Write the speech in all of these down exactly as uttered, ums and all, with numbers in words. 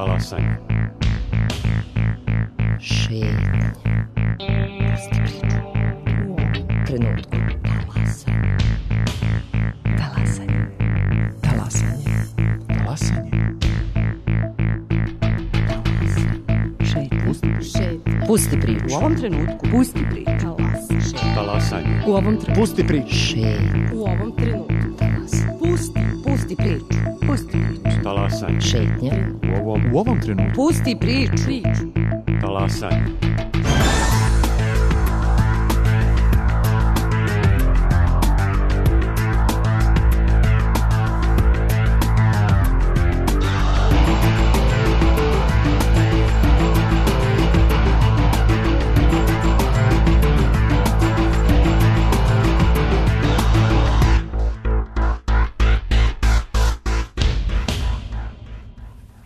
Talasanje. Šetnje. Pusti priču. U ovom trenutku. Talasanje. Talasanje. Talasanje. Šetnje. Pusti priču. U ovom trenutku. Pusti priču. Talasanje. U ovom trenutku. Pusti priču. Šetnje. U ovom trenutku. Pusti. Pusti priču. Pusti priču. Talasanje. Šetnje. U ovom, U ovom trenutku. Pusti priču. Priču. talasanje.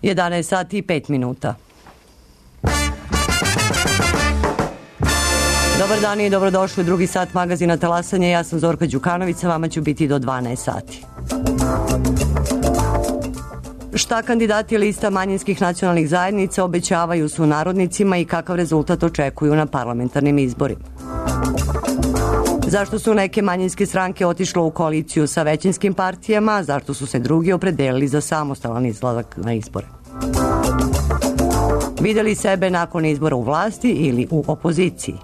jedanaest sati i pet minuta. Dobar dan i dobrodošli u drugi sat magazina Talasanje. Ja sam Zorka Đukanović, sa vama ću biti do dvanaest sati. Šta kandidati lista manjinskih nacionalnih zajednica obećavaju su narodnicima i kakav rezultat očekuju na parlamentarnim izborima? Zašto su neke manjinske stranke otišle u koaliciju sa većinskim partijama, zašto su se drugi opredelili za samostalan izlazak na izbore? Videli sebe nakon izbora u vlasti ili u opoziciji?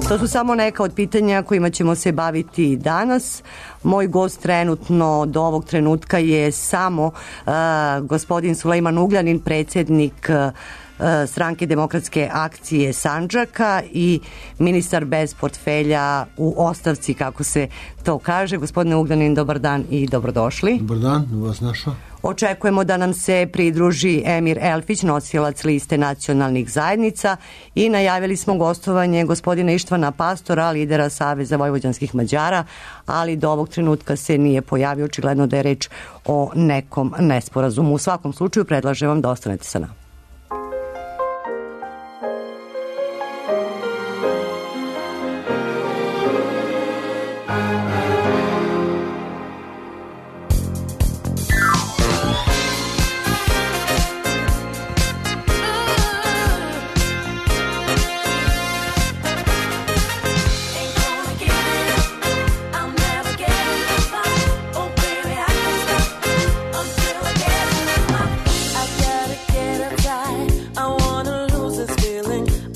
To su samo neka od pitanja kojima ćemo se baviti danas. Moj gost trenutno do ovog trenutka je samo uh, gospodin Sulejman Ugljanin, predsjednik uh, Stranke demokratske akcije Sandžaka i ministar bez portfelja u ostavci, kako se to kaže. Gospodine Ugljanin, dobar dan i dobrodošli. Dobar dan, vas našao. Očekujemo da nam se pridruži Emir Elfić, nosilac liste nacionalnih zajednica, i najavili smo gostovanje gospodina Ištvana Pastora, lidera Saveza vojvođanskih Mađara, ali do ovog trenutka se nije pojavio. Očigledno da je reč o nekom nesporazumu. U svakom slučaju predlažem vam da ostanete sa nama.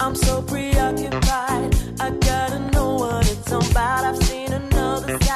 I'm so preoccupied, I gotta know what it's about. I've seen another side.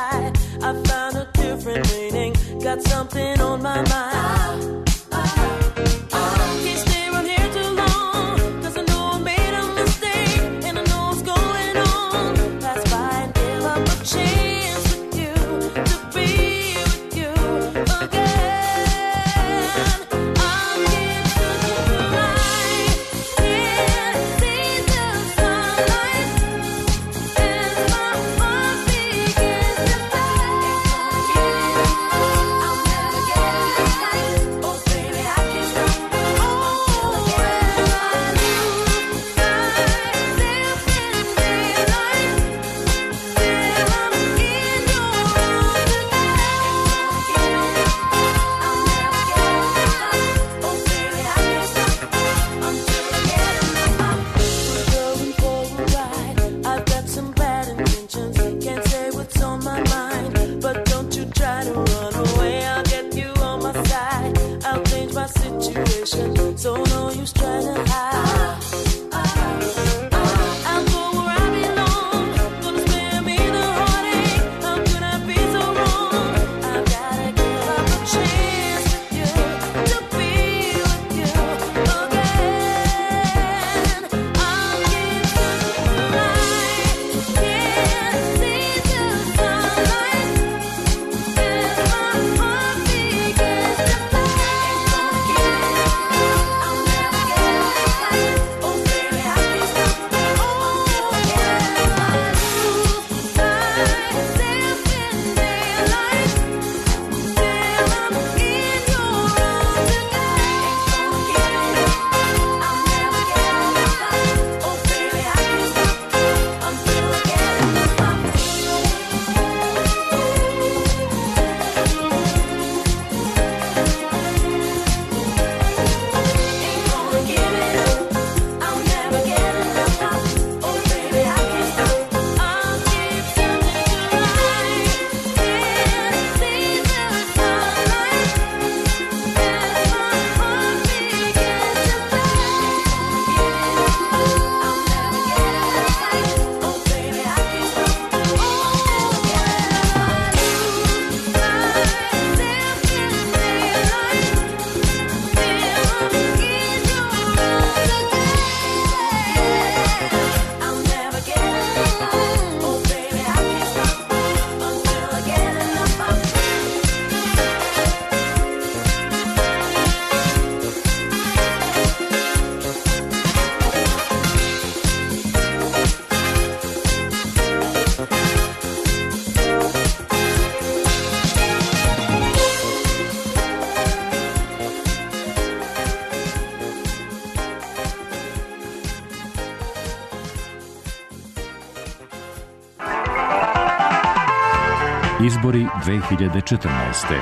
Izbori dve hiljade četrnaeste.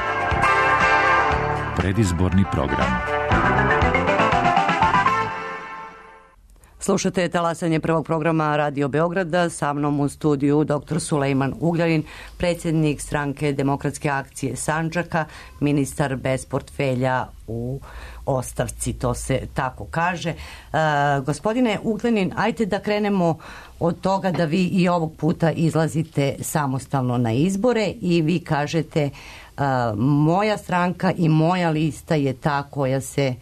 Predizborni program. Slušate talasanje prvog programa Radio Beograda, sa mnom u studiju doktor Sulejman Ugljanin, predsjednik stranke Demokratske akcije Sandžaka, ministar bez portfelja u ostavci, to se tako kaže. E, gospodine Ugljanin, ajte da krenemo od toga da vi i ovog puta izlazite samostalno na izbore i vi kažete e, moja stranka i moja lista je ta koja se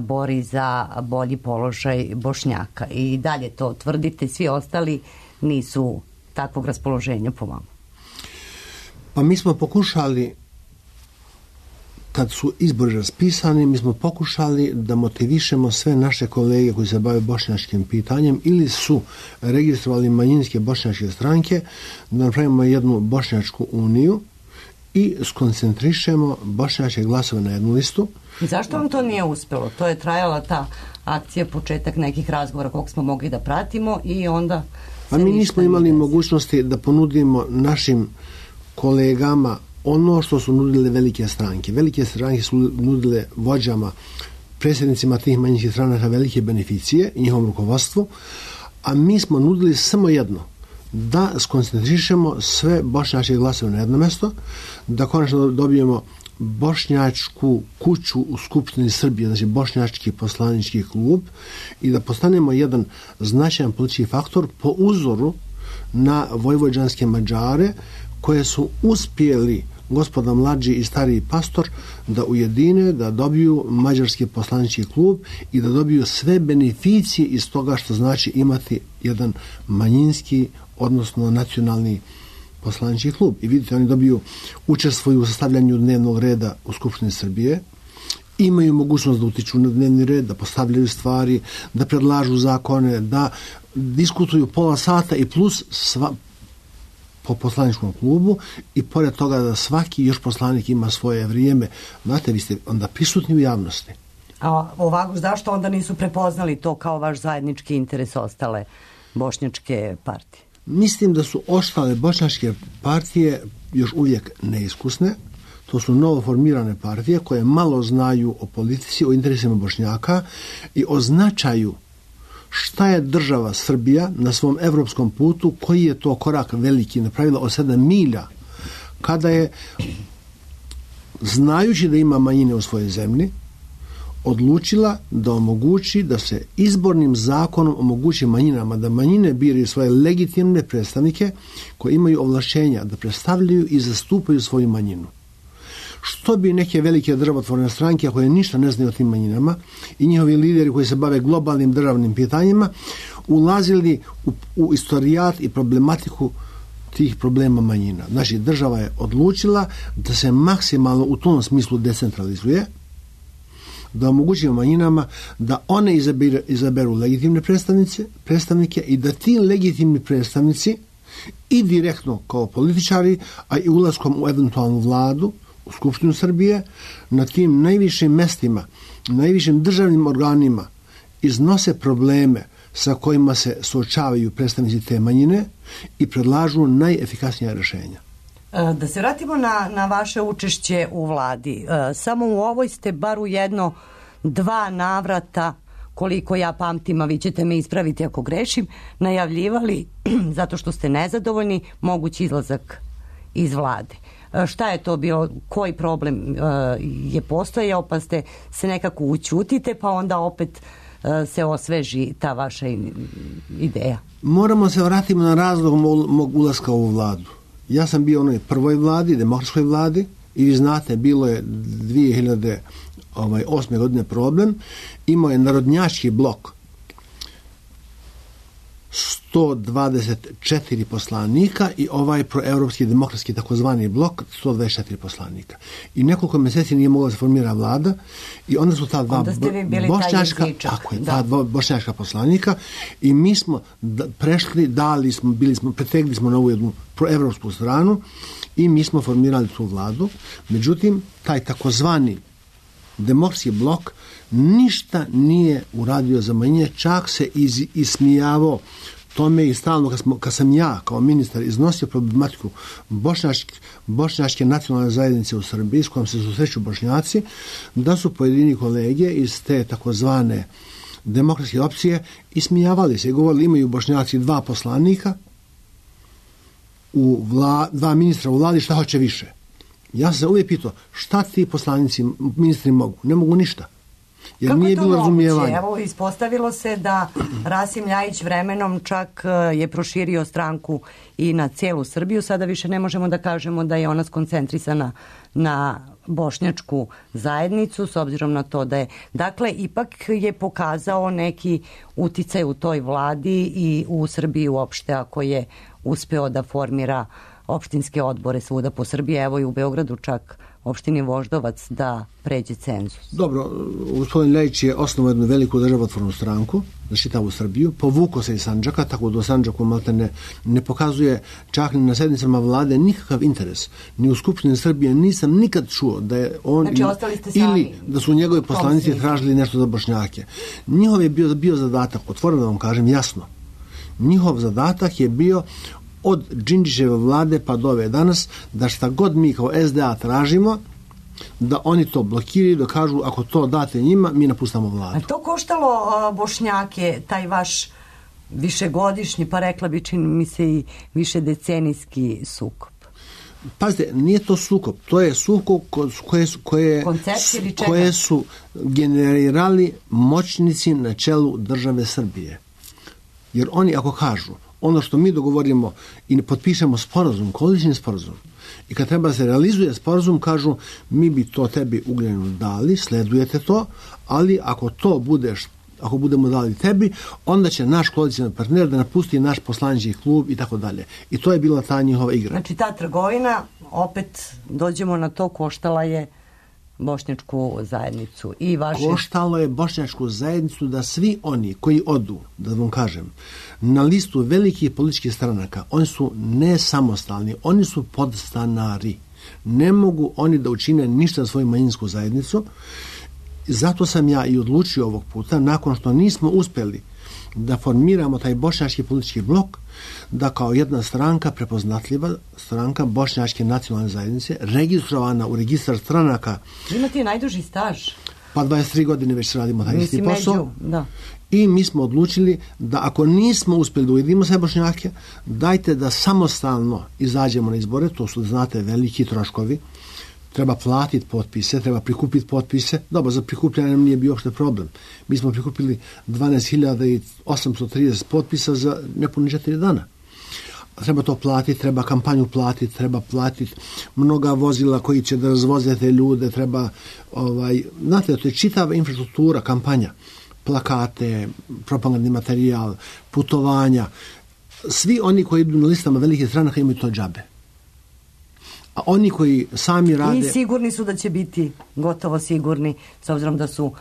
bori za bolji položaj Bošnjaka. I dalje to tvrdite, svi ostali nisu takvog raspoloženja po vama. Pa mi smo pokušali, kad su izbori raspisani, mi smo pokušali da motivišemo sve naše kolege koji se bave bošnjačkim pitanjem ili su registrovali manjinske bošnjačke stranke, da napravimo jednu bošnjačku uniju i skoncentrišemo bošnjačke glasove na jednu listu. I zašto vam to nije uspjelo? To je trajala ta akcija, početak nekih razgovora koliko smo mogli da pratimo i onda... Pa mi nismo imali mogućnosti da ponudimo našim kolegama ono što su nudile velike stranke. Velike stranke su nudile vođama, predsjednicima tih manjinskih stranaka velike beneficije i njihovom rukovodstvu, a mi smo nudili samo jedno, da skoncentrišemo sve bošnjačke glasove na jedno mjesto, da konačno dobijemo bošnjačku kuću u Skupštini Srbije, znači bošnjački poslanički klub, i da postanemo jedan značajan politički faktor po uzoru na vojvođanske Mađare koje su uspjeli, gospoda mlađi i stariji pastor, da ujedine, da dobiju mađarski poslanički klub i da dobiju sve beneficije iz toga što znači imati jedan manjinski, odnosno nacionalni poslanički klub. I vidite, oni dobiju, učestvuju u sastavljanju dnevnog reda u Skupštini Srbije, imaju mogućnost da utiču na dnevni red, da postavljaju stvari, da predlažu zakone, da diskutuju pola sata i plus sva, po poslaničkom klubu, i pored toga da svaki još poslanik ima svoje vrijeme. Znate, vi ste onda prisutni u javnosti. A ovako, zašto onda nisu prepoznali to kao vaš zajednički interes ostale bošnjačke partije? Mislim da su ostale bošnjačke partije još uvijek neiskusne. To su novo formirane partije koje malo znaju o politici, o interesima Bošnjaka i o značaju šta je država Srbija na svom evropskom putu, koji je to korak veliki napravila od sedam milja, kada je, znajući da ima manjine u svojoj zemlji, odlučila da omogući da se izbornim zakonom omogući manjinama da manjine biraju svoje legitimne predstavnike koji imaju ovlašćenja da predstavljaju i zastupaju svoju manjinu. Što bi neke velike državotvorne stranke koje ništa ne znaju o tim manjinama i njihovi lideri koji se bave globalnim državnim pitanjima ulazili u, u istorijat i problematiku tih problema manjina. Znači, država je odlučila da se maksimalno u tom smislu decentralizuje, da omogućimo manjinama da one izaberu, izaberu legitimne predstavnice, predstavnike i da ti legitimni predstavnici i direktno kao političari, a i ulaskom u eventualnu vladu, u Skupštinu Srbije, na tim najvišim mestima, najvišim državnim organima iznose probleme sa kojima se suočavaju predstavnici te manjine i predlažu najefikasnija rješenja. Da se vratimo na, na vaše učešće u vladi. Samo u ovoj ste bar u jedno dva navrata, koliko ja pamtim, a vi ćete me ispraviti ako grešim, najavljivali, zato što ste nezadovoljni, mogući izlazak iz vlade. Šta je to bio, koji problem je postojao, pa ste se nekako učutite, pa onda opet se osveži ta vaša ideja? Moramo se vratiti na razlog mog ulaska u vladu. Ja sam bio u onoj prvoj vladi, demokratskoj vladi, i vi znate, bilo je dvije hiljade osme godine problem. Imao je narodnjački blok sto dvadeset četiri poslanika i ovaj proevropski demokratski takozvani blok sto dvadeset četiri poslanika. I nekoliko mjeseci nije mogla se formira vlada i onda su ta dva bošnjačka, tako je, ta dva bošnjačka poslanika i mi smo da, prešli, dali smo, bili smo, pretegli smo na ovu jednu proevropsku stranu i mi smo formirali tu vladu. Međutim, taj takozvani demokratski blok ništa nije uradio za manjine, čak se iz, ismijavao tome i stalno kad, smo, kad sam ja kao ministar iznosio problematiku bošnjačke, bošnjačke nacionalne zajednice u Srbiji s kojom se susreću Bošnjaci, da su pojedini kolege iz te takozvane demokratske opcije ismijavali se i govorili imaju Bošnjaci dva poslanika, u vla, dva ministra u vladi, šta hoće više. Ja sam se uvijek pitao šta ti poslanici, ministri mogu? Ne mogu ništa. Jer kako nije je to bilo moguće? razumijevanja. Evo, ispostavilo se da Rasim Ljajić vremenom čak je proširio stranku i na cijelu Srbiju. Sada više ne možemo da kažemo da je ona skoncentrisana na bošnjačku zajednicu, s obzirom na to da je... Dakle, ipak je pokazao neki uticaj u toj vladi i u Srbiji uopšte, ako je uspeo da formira opštinske odbore svuda po Srbiji, evo i u Beogradu čak opštini Voždovac da pređe cenzus. Dobro, gospodin Ljajić je osnovao jednu veliku državotvornu stranku za čitavu Srbiju, povukao se iz Sandžaka, tako da u Sandžaku malte ne, ne pokazuje čak ni na sednicama vlade nikakav interes. Ni u Skupštini Srbije nisam nikad čuo da je on znači, ili, ili da su njegovi poslanici tražili nešto za Bošnjake. Njihov je bio, bio zadatak, otvoreno da vam kažem jasno, njihov zadatak je bio od Đinđićeve vlade pa do ove danas, da šta god mi kao S D A tražimo, da oni to blokiraju, da kažu ako to date njima, mi napustamo vladu. A to koštalo a, Bošnjake, taj vaš višegodišnji, pa rekla bi čini mi se i višedecenijski sukob? Pazite, nije to sukob, to je sukob koje su, koje, koje su generirali moćnici na čelu države Srbije. Jer oni ako kažu ono što mi dogovorimo i potpišemo sporazum, koalicijni sporazum, i kad treba se realizuje sporazum, kažu mi bi to tebi Ugljenu dali, sledujete to, ali ako to budeš, ako budemo dali tebi, onda će naš koalicijni partner da napusti naš poslanički klub i tako dalje. I to je bila ta njihova igra. Znači ta trgovina, opet dođemo na to, koštala je bošnjačku zajednicu i vaše... Koštalo je bošnjačku zajednicu da svi oni koji odu, da vam kažem, na listu velikih političkih stranaka, oni su ne samostalni, oni su podstanari. Ne mogu oni da učine ništa za svoju manjinsku zajednicu. Zato sam ja i odlučio ovog puta, nakon što nismo uspjeli da formiramo taj bošnjački politički blok, da kao jedna stranka, prepoznatljiva stranka bošnjačke nacionalne zajednice, registrovana u registar stranaka. Imate najduži staž. Pa dvadeset tri godine već radimo taj isti posao. Među, da. I mi smo odlučili da ako nismo uspjeli da ujedimo sve Bošnjake, dajte da samostalno izađemo na izbore, to su, znate, veliki troškovi. Treba platiti potpise, treba prikupiti potpise. Dobro, za prikupljanje nam nije bio uopšte problem. Mi smo prikupili dvanaest hiljada osamsto trideset potpisa za nepuni četiri dana. Treba to platiti, treba kampanju platiti, treba platiti mnoga vozila koji će da razvoze te ljude, treba, ovaj, znate, to je čitava infrastruktura, kampanja, plakate, propagandni materijal, putovanja. Svi oni koji idu na listama velikih stranaka imaju to džabe. A oni koji sami rade... I sigurni su da će biti gotovo sigurni, s obzirom da su uh,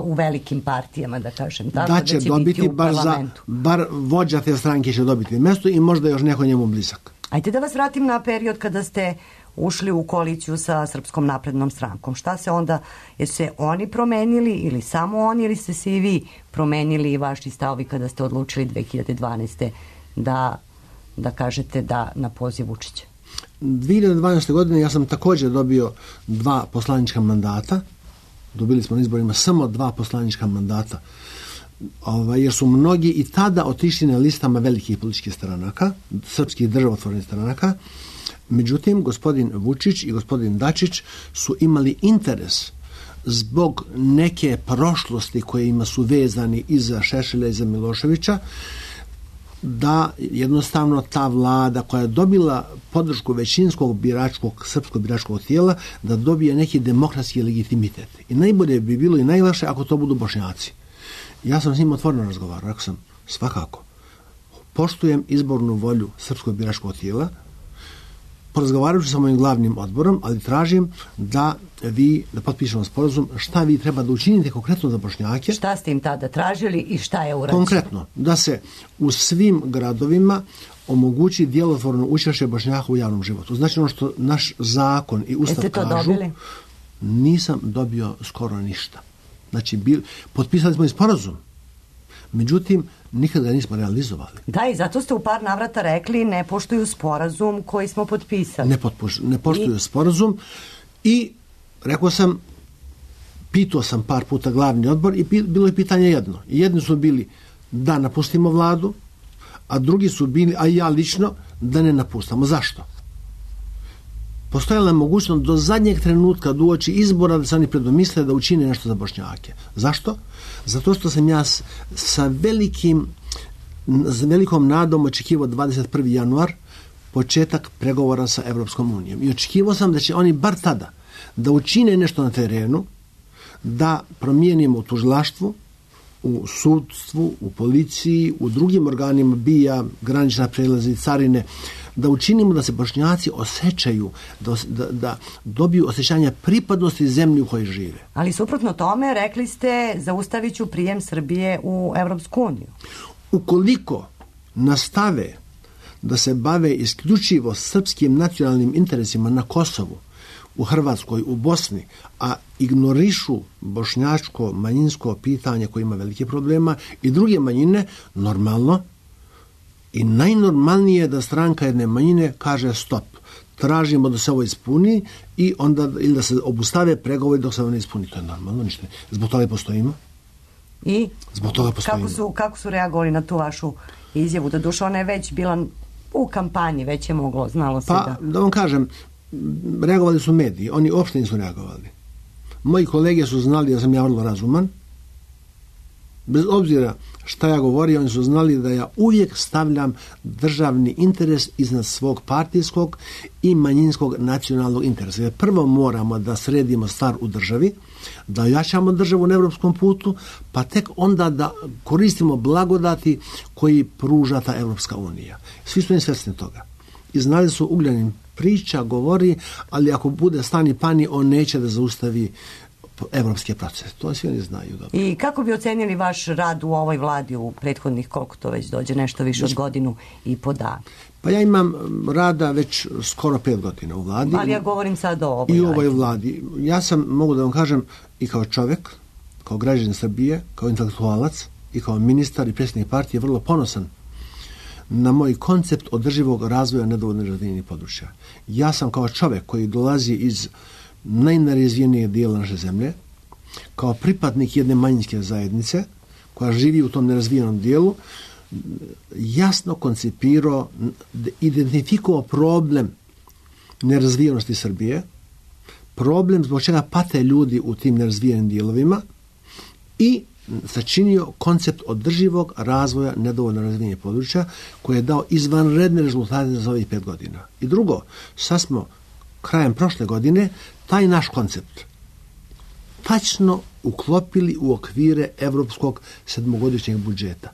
u velikim partijama, da kažem. Tako, da će, da će dobiti, bar, za, bar vođa te stranke će dobiti mjesto i možda još neko njemu blizak. Ajde da vas vratim na period kada ste ušli u koaliciju sa Srpskom naprednom strankom. Šta se onda, jesu se oni promenili ili samo oni, ili ste se i vi promenili i vaši stavovi kada ste odlučili dve hiljade dvanaeste. da, da kažete da na poziv Vučića? dve hiljade dvanaeste. godine ja sam također dobio dva poslanička mandata. Dobili smo na izborima samo dva poslanička mandata. Ovaj, jer su mnogi i tada otišli na listama velikih političkih stranaka, srpskih državotvornih stranaka. Međutim, gospodin Vučić i gospodin Dačić su imali interes zbog neke prošlosti kojima su vezani i za Šešelja i za Miloševića, da jednostavno ta vlada koja je dobila podršku većinskog biračkog, srpskog biračkog tijela, da dobije neki demokratski legitimitet. I najbolje bi bilo i najlakše ako to budu Bošnjaci. Ja sam s njim otvoreno razgovarao, rekao sam, svakako, poštujem izbornu volju srpskog biračkog tijela, porazgovarat ću sa mojim glavnim odborom, ali tražim da vi, da potpišemo sporazum, šta vi treba da učinite konkretno za Bošnjake. Šta ste im tada tražili i šta je urađeno? Konkretno, da se u svim gradovima omogući djelotvorno učešće Bošnjaka u javnom životu. Znači ono što naš zakon i ustav Jeste to kažu, dobili? Nisam dobio skoro ništa. Znači, bil, potpisali smo i sporazum. Međutim, nikad ga nismo realizovali. Da, i zato ste u par navrata rekli ne poštuju sporazum koji smo potpisali. Ne, potpuš, ne poštuju I... sporazum i rekao sam, pitao sam par puta glavni odbor i bilo je pitanje jedno. Jedni su bili da napustimo vladu, a drugi su bili, a ja lično, da ne napustamo. Zašto? Postojala je mogućnost do zadnjeg trenutka do uoči izbora da se oni predomisle da učine nešto za Bošnjake. Zašto? Zato što sam ja s, sa velikim s velikom nadom očekivao dvadeset prvi januar početak pregovora sa Evropskom unijom. I očekivao sam da će oni bar tada da učine nešto na terenu, da promijenimo u tužilaštvu, u sudstvu, u policiji, u drugim organima B I A, granična prelazi, carine, da učinimo da se Bošnjaci osjećaju, da, da, da dobiju osjećanje pripadnosti zemlji u kojoj žive. Ali suprotno tome, rekli ste, zaustavit ću prijem Srbije u Evropsku uniju. Ukoliko nastave da se bave isključivo srpskim nacionalnim interesima na Kosovu, u Hrvatskoj, u Bosni, a ignorišu bošnjačko manjinsko pitanje koje ima velike problema i druge manjine, normalno i najnormalnije je da stranka jedne manjine kaže stop, tražimo da se ovo ispuni i onda ili da se obustave pregovori dok se ovo ne ispuni. To je normalno, ništa. Zbog toga postojimo. I zbog toga postojimo. Kako su, kako su reagovali na tu vašu izjavu? Da duša ona je već bila u kampanji, već je moglo, znalo se pa, da... Pa, da vam kažem, reagovali su mediji, oni uopšte nisu reagovali. Moji kolege su znali da sam ja vrlo razuman. Bez obzira šta ja govorio, oni su znali da ja uvijek stavljam državni interes iznad svog partijskog i manjinskog nacionalnog interesa. Jer prvo moramo da sredimo stvar u državi, da ojačamo državu na evropskom putu, pa tek onda da koristimo blagodati koji pruža ta Evropska unija. Svi su im svjesni toga. I znali su Ugljanin priča, govori, ali ako bude stani pani, on neće da zaustavi evropske procese. To svi oni znaju dobro. I kako bi ocenili vaš rad u ovoj vladi u prethodnih, koliko to već dođe, nešto više od godinu i po dana? Pa ja imam rada već skoro pet godina u vladi. Ali ja govorim sad o ovoj I u ovoj vladi. Ja sam, mogu da vam kažem, i kao čovjek, kao građanin Srbije, kao intelektualac i kao ministar i predsjednik partije vrlo ponosan na moj koncept održivog razvoja nedovoljno razvijenih područja. Ja sam kao čovjek koji dolazi iz najnerazvijenijeg dijela naše zemlje, kao pripadnik jedne manjinske zajednice koja živi u tom nerazvijenom dijelu, jasno koncipirao, identifikovao problem nerazvijenosti Srbije, problem zbog čega pate ljudi u tim nerazvijenim dijelovima i sačinio koncept održivog razvoja nedovoljno razvijenih područja koji je dao izvanredne rezultate za ovih pet godina. I drugo, sad smo krajem prošle godine taj naš koncept tačno uklopili u okvire evropskog sedmogodišnjeg budžeta.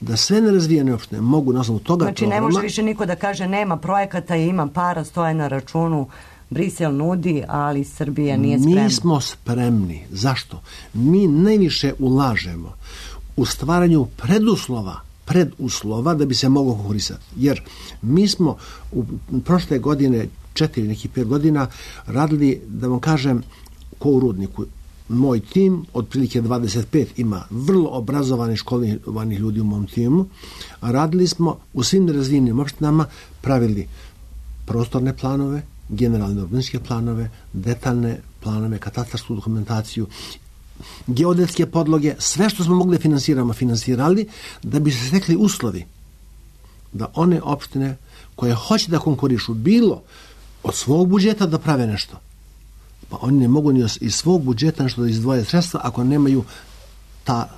Da sve nerazvijene opštine mogu na osnovu toga znači programa... ne može više niko da kaže nema projekata i ima para, stoje na računu, Brisel nudi, ali Srbija nije spremna. Mi smo spremni. Zašto? Mi najviše ulažemo u stvaranju preduslova preduslova da bi se moglo konkurisati. Jer mi smo u prošle godine, četiri, nekih pet godina, radili, da vam kažem, ko u Rudniku. Moj tim, otprilike dvadeset pet, ima vrlo obrazovanih, školovanih ljudi u mom timu. Radili smo u svim nerazvijenim opštinama, pravili prostorne planove, generalne urbanističke planove, detaljne planove, katastarsku dokumentaciju, geodetske podloge, sve što smo mogli finansiramo, finansirali, da bi se stekli uslovi da one opštine koje hoće da konkurišu bilo od svog budžeta da prave nešto. Pa oni ne mogu ni iz svog budžeta nešto da izdvoje sredstva ako nemaju ta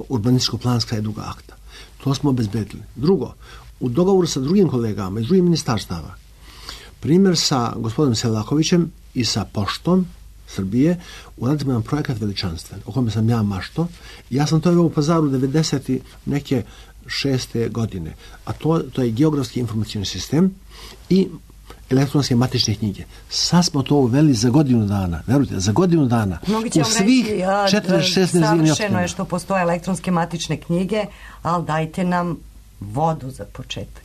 urbanističko-planska i druga akta. To smo obezbedili. Drugo, u dogovoru sa drugim kolegama iz drugih ministarstava, primjer sa gospodinom Selakovićem i sa Poštom Srbije, uradili smo jedan projekat veličanstven, o kome sam ja mašto. Ja sam to u Pazaru devedeset neke šeste godine. A to, to je geografski informacijni sistem i elektronske matične knjige. Sad smo to uveli za godinu dana. Verujte, za godinu dana. U svih četrdeset šest nerazvijenih opština. Savršeno je što postoje elektronske matične knjige, ali dajte nam vodu za početak.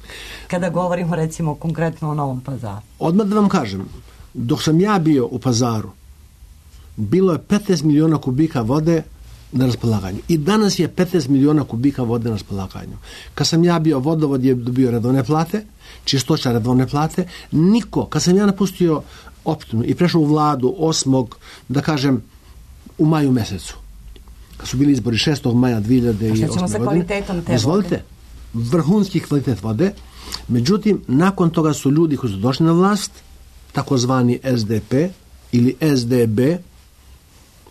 Kada govorimo recimo konkretno o Novom Pazaru. Odmah da vam kažem, dok sam ja bio u Pazaru, bilo je petnaest miliona kubika vode na raspolaganju. I danas je petnaest miliona kubika vode na raspolaganju. Kad sam ja bio, vodovod je dobio redovne plate, čistoća redovne plate, niko, kad sam ja napustio opštinu i prešao u vladu osmog, da kažem, u maju mesecu, kad su bili izbori šestog maja dve hiljade osme. A šta ćemo sa kvalitetom te vode? Vrhunski kvalitet vode. Međutim, nakon toga su ljudi koji su došli na vlast, takozvani S D P ili S D B,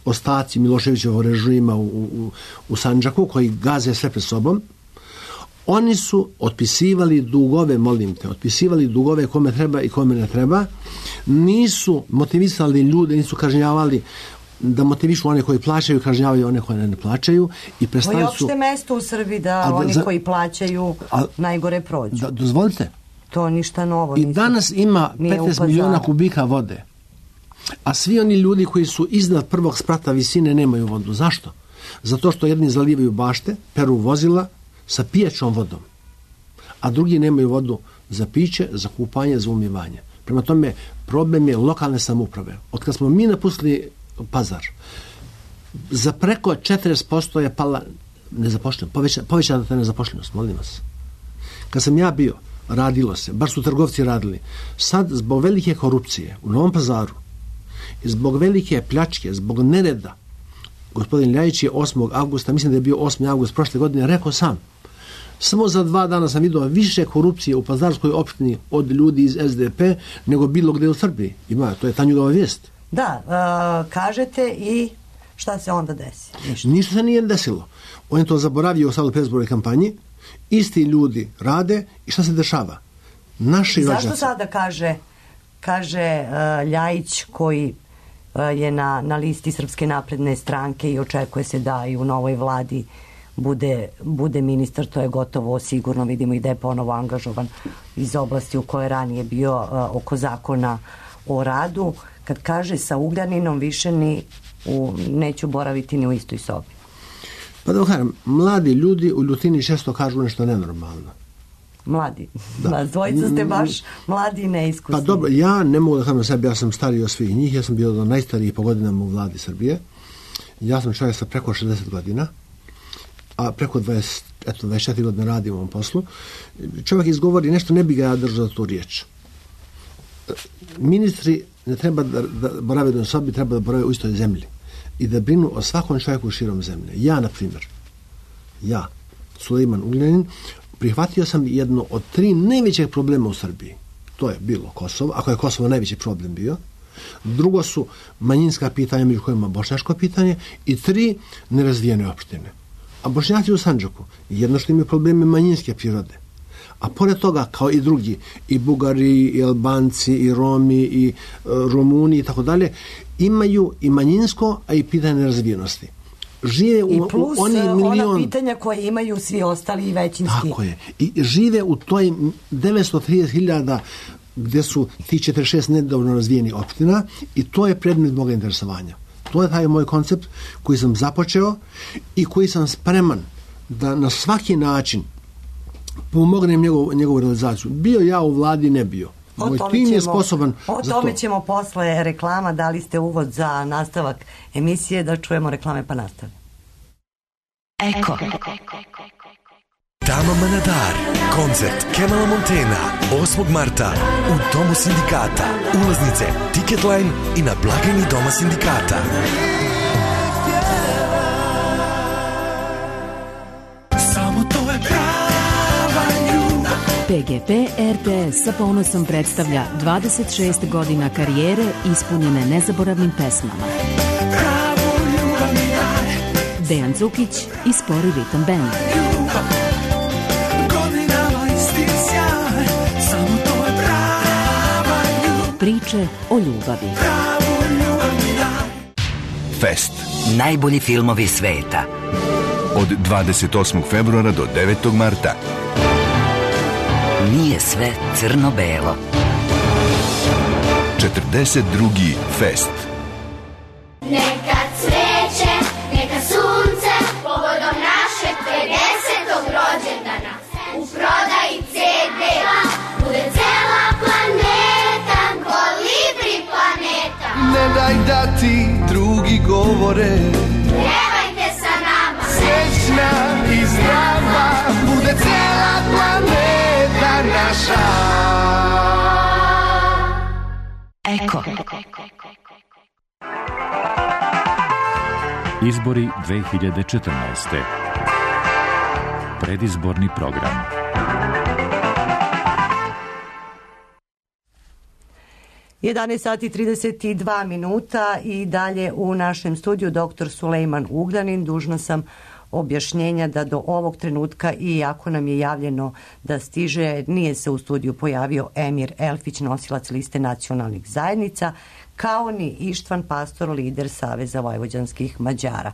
ostaci Miloševićevog režima u, u, u Sandžaku, koji gaze sve pred sobom, oni su otpisivali dugove, molim te, otpisivali dugove kome treba i kome ne treba, nisu motivisali ljude, nisu kažnjavali, da motivišu one koji plaćaju, kažnjavaju one koje ne plaćaju i prestali su... To je opšte mesto u Srbiji da, da oni za, koji plaćaju a, najgore prođu. Da, dozvolite. To ništa novo. I nisu, danas ima petnaest miliona kubika vode. A svi oni ljudi koji su iznad prvog sprata visine nemaju vodu. Zašto? Zato što jedni zalivaju bašte, peru vozila sa pijaćom vodom, a drugi nemaju vodu za piće, za kupanje, za umivanje. Prema tome, problem je lokalne samouprave. Od kad smo mi napustili Pazar, za preko četrdeset posto je pala nezapošljenost, poveća, povećana ta nezapošljenost, molim vas. Kad sam ja bio, radilo se, bar su trgovci radili. Sad, zbog velike korupcije u Novom Pazaru i zbog velike pljačke, zbog nereda, gospodin Ljajić je osmog avgusta, mislim da je bio osmi avgust prošle godine, rekao sam, samo za dva dana sam vidio više korupcije u Pazarskoj opštini od ljudi iz S D P nego bilo gde u Srbiji. Ima, to je Tanjugova vijest. Da, uh, kažete i šta se onda desi? Ništa. Ništa se nije desilo. On je to zaboravio u sad u predizbornoj kampanji. Isti ljudi rade i šta se dešava? Naši zašto rođaci... sada kaže, kaže uh, Ljajić koji uh, je na, na listi Srpske napredne stranke i očekuje se da i u novoj vladi bude, bude ministar, to je gotovo sigurno, vidimo i da je ponovo angažovan iz oblasti u kojoj ranije bio uh, oko zakona o radu, kad kaže sa Ugljaninom više ni u, neću boraviti ni u istoj sobi. Pa da kažem, mladi ljudi u ljutini često kažu nešto nenormalno. Mladi. Da. Dvojica ste baš mladi i neiskusni. Pa dobro, ja ne mogu da kažem sebi, ja sam stariji od svih njih, ja sam bio do najstarijih po godinama u vladi Srbije. Ja sam čovjek sa preko šezdeset godina, a preko dvadeset, eto, dvadeset četiri godine radim u ovom poslu. Čovjek izgovori nešto, ne bi ga ja držao za tu riječ. Ministri ne treba da, da borave do sobi, treba da borave u istoj zemlji i da brinu o svakom čovjeku širom zemlje. Ja, na primjer, ja, Sulejman Ugljanin, prihvatio sam jedno od tri najvećeg problema u Srbiji. To je bilo Kosovo, ako je Kosovo najveći problem bio. Drugo su manjinska pitanja, među kojima bošnjaško pitanje, i tri, nerazvijene opštine. A Bošnjaci u Sandžaku, jedno što imaju probleme manjinske prirode. A pored toga, kao i drugi, i Bugari, i Albanci, i Romi, i uh, Rumuni, i tako dalje, imaju i manjinsko, a i pitanje nerazvijenosti. Žive u, i plus u oni milion... ona pitanja koje imaju svi ostali i većinski. Tako je. I žive u toj devetsto trideset hiljada gdje su ti četrdeset šest nedovoljno razvijeni opština i to je predmet moga interesovanja. To je taj moj koncept koji sam započeo i koji sam spreman da na svaki način pomognem njegov, njegovu realizaciju. Bio ja u vladi, ne bio. Moj tim je sposoban o za tome to. Ćemo posle reklama, dali ste uvod za nastavak emisije, da čujemo reklame pa nastavimo. Eko. Tama Manadar, koncert Kemala Montena, osmog marta u Domu sindikata. Ulaznice Ticketline i na blagajni Doma sindikata. Samo to je prava ljubav. P G P R T S sa ponosom predstavlja dvadeset šest godina karijere ispunjene nezaboravnim pesmama. Pravu ljubav mi daj. Dejan Cukić i Spori Ritam Band. Priče o ljubavi. Fest. Najbolji filmovi sveta. Od dvadeset osmog februara do devetog marta. Nije sve crno-belo. četrdeset drugi Fest. Neka cveće, neka sunce, povodom našeg pedesetog rođendana. U prodaji C D bude cela planeta, Kolibri planeta. Ne daj da ti drugi govore, pjevajte sa naša. Eko. Izbori dve hiljade četrnaeste. Predizborni program. jedanaest sati trideset dva minuta i dalje u našem studiju doktor Sulejman Ugljanin. Dužna sam objašnjenja da do ovog trenutka, iako nam je javljeno da stiže, nije se u studiju pojavio Emir Elfić, nosilac liste nacionalnih zajednica, kao ni Ištvan Pastor, lider Saveza vojvođanskih Mađara.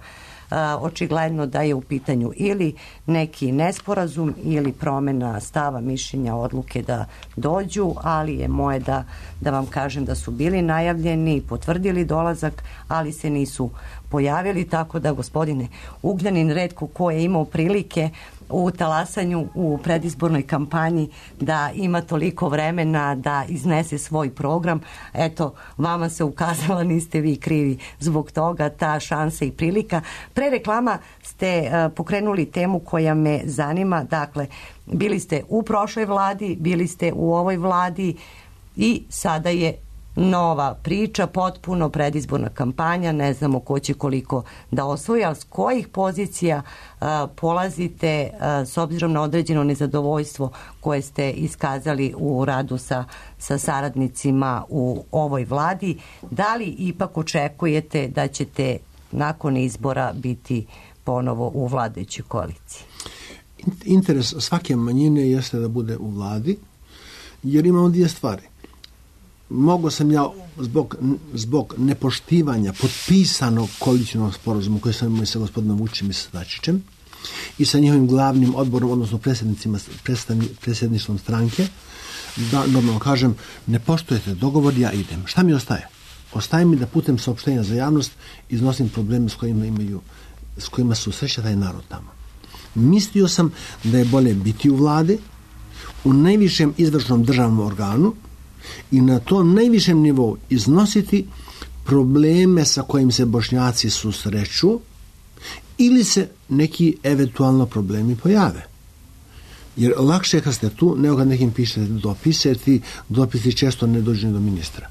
Očigledno da je u pitanju ili neki nesporazum ili promjena stava, mišljenja, odluke da dođu, ali je moje da, da vam kažem da su bili najavljeni i potvrdili dolazak, ali se nisu pojavili, tako da gospodine Ugljanin, retko ko je imao prilike u talasanju u predizbornoj kampanji da ima toliko vremena da iznese svoj program. Eto, vama se ukazala, niste vi krivi zbog toga, ta šansa i prilika. Pre reklama ste uh, pokrenuli temu koja me zanima. Dakle, bili ste u prošloj vladi, bili ste u ovoj vladi i sada je nova priča, potpuno predizborna kampanja, ne znamo ko će koliko da osvoji, ali s kojih pozicija uh, polazite uh, s obzirom na određeno nezadovoljstvo koje ste iskazali u radu sa, sa saradnicima u ovoj vladi, da li ipak očekujete da ćete nakon izbora biti ponovo u vladajućoj koaliciji? Interes svake manjine jeste da bude u vladi, jer imamo dvije stvari. Mogu sam ja zbog, zbog nepoštivanja potpisanog koalicijnog sporazuma koji sam imao sa gospodinom Vučićem i sa Dačićem i sa njihovim glavnim odborom, odnosno predsjednicima, predsjedništvom stranke, da normalno kažem, ne poštujete dogovor, ja idem. Šta mi ostaje? Ostaje mi da putem saopštenja za javnost iznosim probleme s kojima imaju, s kojima su sreća taj narod tamo. Mislio sam da je bolje biti u vladi, u najvišem izvršnom državnom organu, i na tom najvišem nivou iznositi probleme sa kojim se Bošnjaci susreću ili se neki eventualno problemi pojave. Jer lakše je kad ste tu nego kad nekim pišete dopise, ti dopisi često ne dođu do ministra.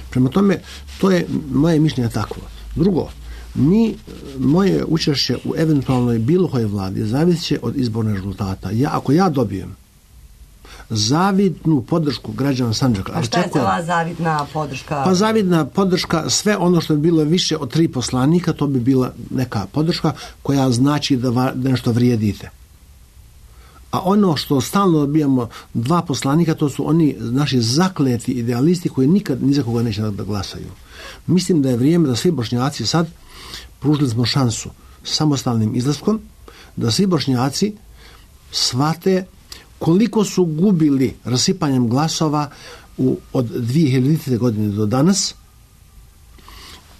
Prema tome, to je moje mišljenje takvo. Drugo, mi, moje učešće u eventualnoj bilo kojoj vladi zavisit će od izbornih rezultata. Ja, ako ja dobijem zavidnu podršku građana Sandžaka. A šta je za vas zavidna podrška? Pa zavidna podrška, sve ono što bi bilo više od tri poslanika, to bi bila neka podrška koja znači da, va, da nešto vrijedite. A ono što stalno dobijamo dva poslanika, to su oni naši zakleti idealisti koji nikad ni za koga neće da glasaju. Mislim da je vrijeme da svi Bošnjaci sad, pružili smo šansu samostalnim izlaskom, da svi Bošnjaci shvate koliko su gubili rasipanjem glasova u, od dvije hiljadite. godine do danas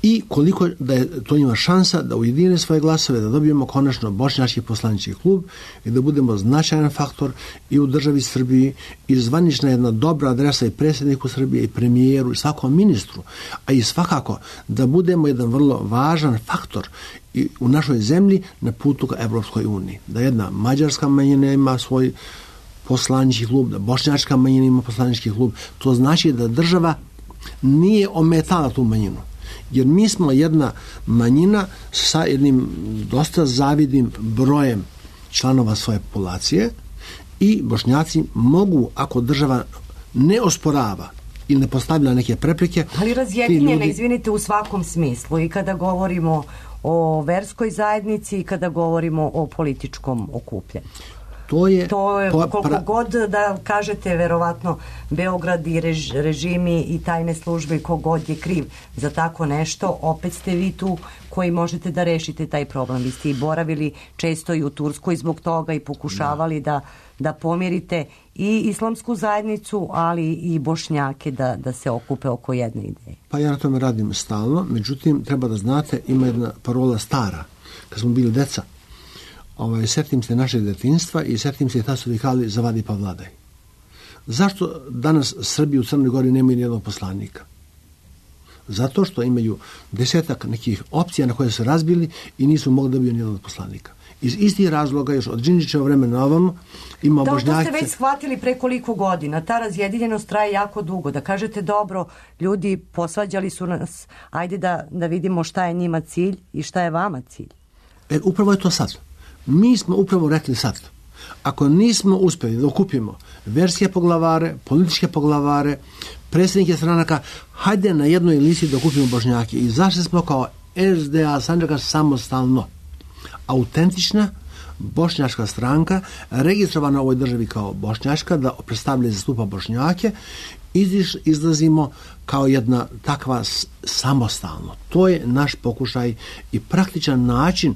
i koliko da je to njima šansa da ujedine svoje glasove, da dobijemo konačno bošnjački poslanički klub i da budemo značajan faktor i u državi Srbiji i zvanična jedna dobra adresa i predsjedniku Srbije i premijeru i svakom ministru, a i svakako da budemo jedan vrlo važan faktor i u našoj zemlji na putu ka Evropskoj uniji. Da jedna mađarska manjina ima svoj poslanički klub, da bošnjačka manjina ima poslanički klub, to znači da država nije ometala tu manjinu. Jer mi smo jedna manjina sa jednim dosta zavidnim brojem članova svoje populacije i Bošnjaci mogu, ako država ne osporava ili ne postavlja neke prepreke... Ali razjedinjene, ljudi... izvinite, u svakom smislu, i kada govorimo o verskoj zajednici i kada govorimo o političkom okupljanju. To je, to je po, koliko pra... god da kažete, verovatno Beograd i rež, režimi i tajne službe i kogod je kriv za tako nešto, opet ste vi tu koji možete da rešite taj problem. Vi ste i boravili često i u Turskoj zbog toga i pokušavali da, da pomirite i islamsku zajednicu, ali i Bošnjake da, da se okupe oko jedne ideje. Pa ja na tome radim stalno, međutim treba da znate, ima jedna parola stara, kad smo bili deca. Ovaj, setim se našeg detinjstva i setim se ta su vikali zavadi pa vladaj. Zašto danas Srbi u Crnoj Gori nemaju nijednog poslanika? Zato što imaju desetak nekih opcija na koje su razbili i nisu mogli da dobiju nijednog poslanika. Iz istih razloga, još od Đinđićeva vremena ovamo, ima da, Bošnjake... To ste već shvatili pre koliko godina. Ta razjedinjenost traje jako dugo. Da kažete, dobro, ljudi posvađali su nas, ajde da, da vidimo šta je njima cilj i šta je vama cilj. E, upravo je to sad. Mi smo upravo rekli sad. Ako nismo uspjeli da okupimo verske poglavare, političke poglavare, predsjednike stranaka, hajde na jednoj listi da okupimo Bošnjake. I zašto smo kao S D A Sandžaka samostalno autentična bošnjačka stranka, registrovana u ovoj državi kao bošnjačka, da predstavlja i zastupa Bošnjake, izliš, izlazimo kao jedna takva s, samostalno. To je naš pokušaj i praktičan način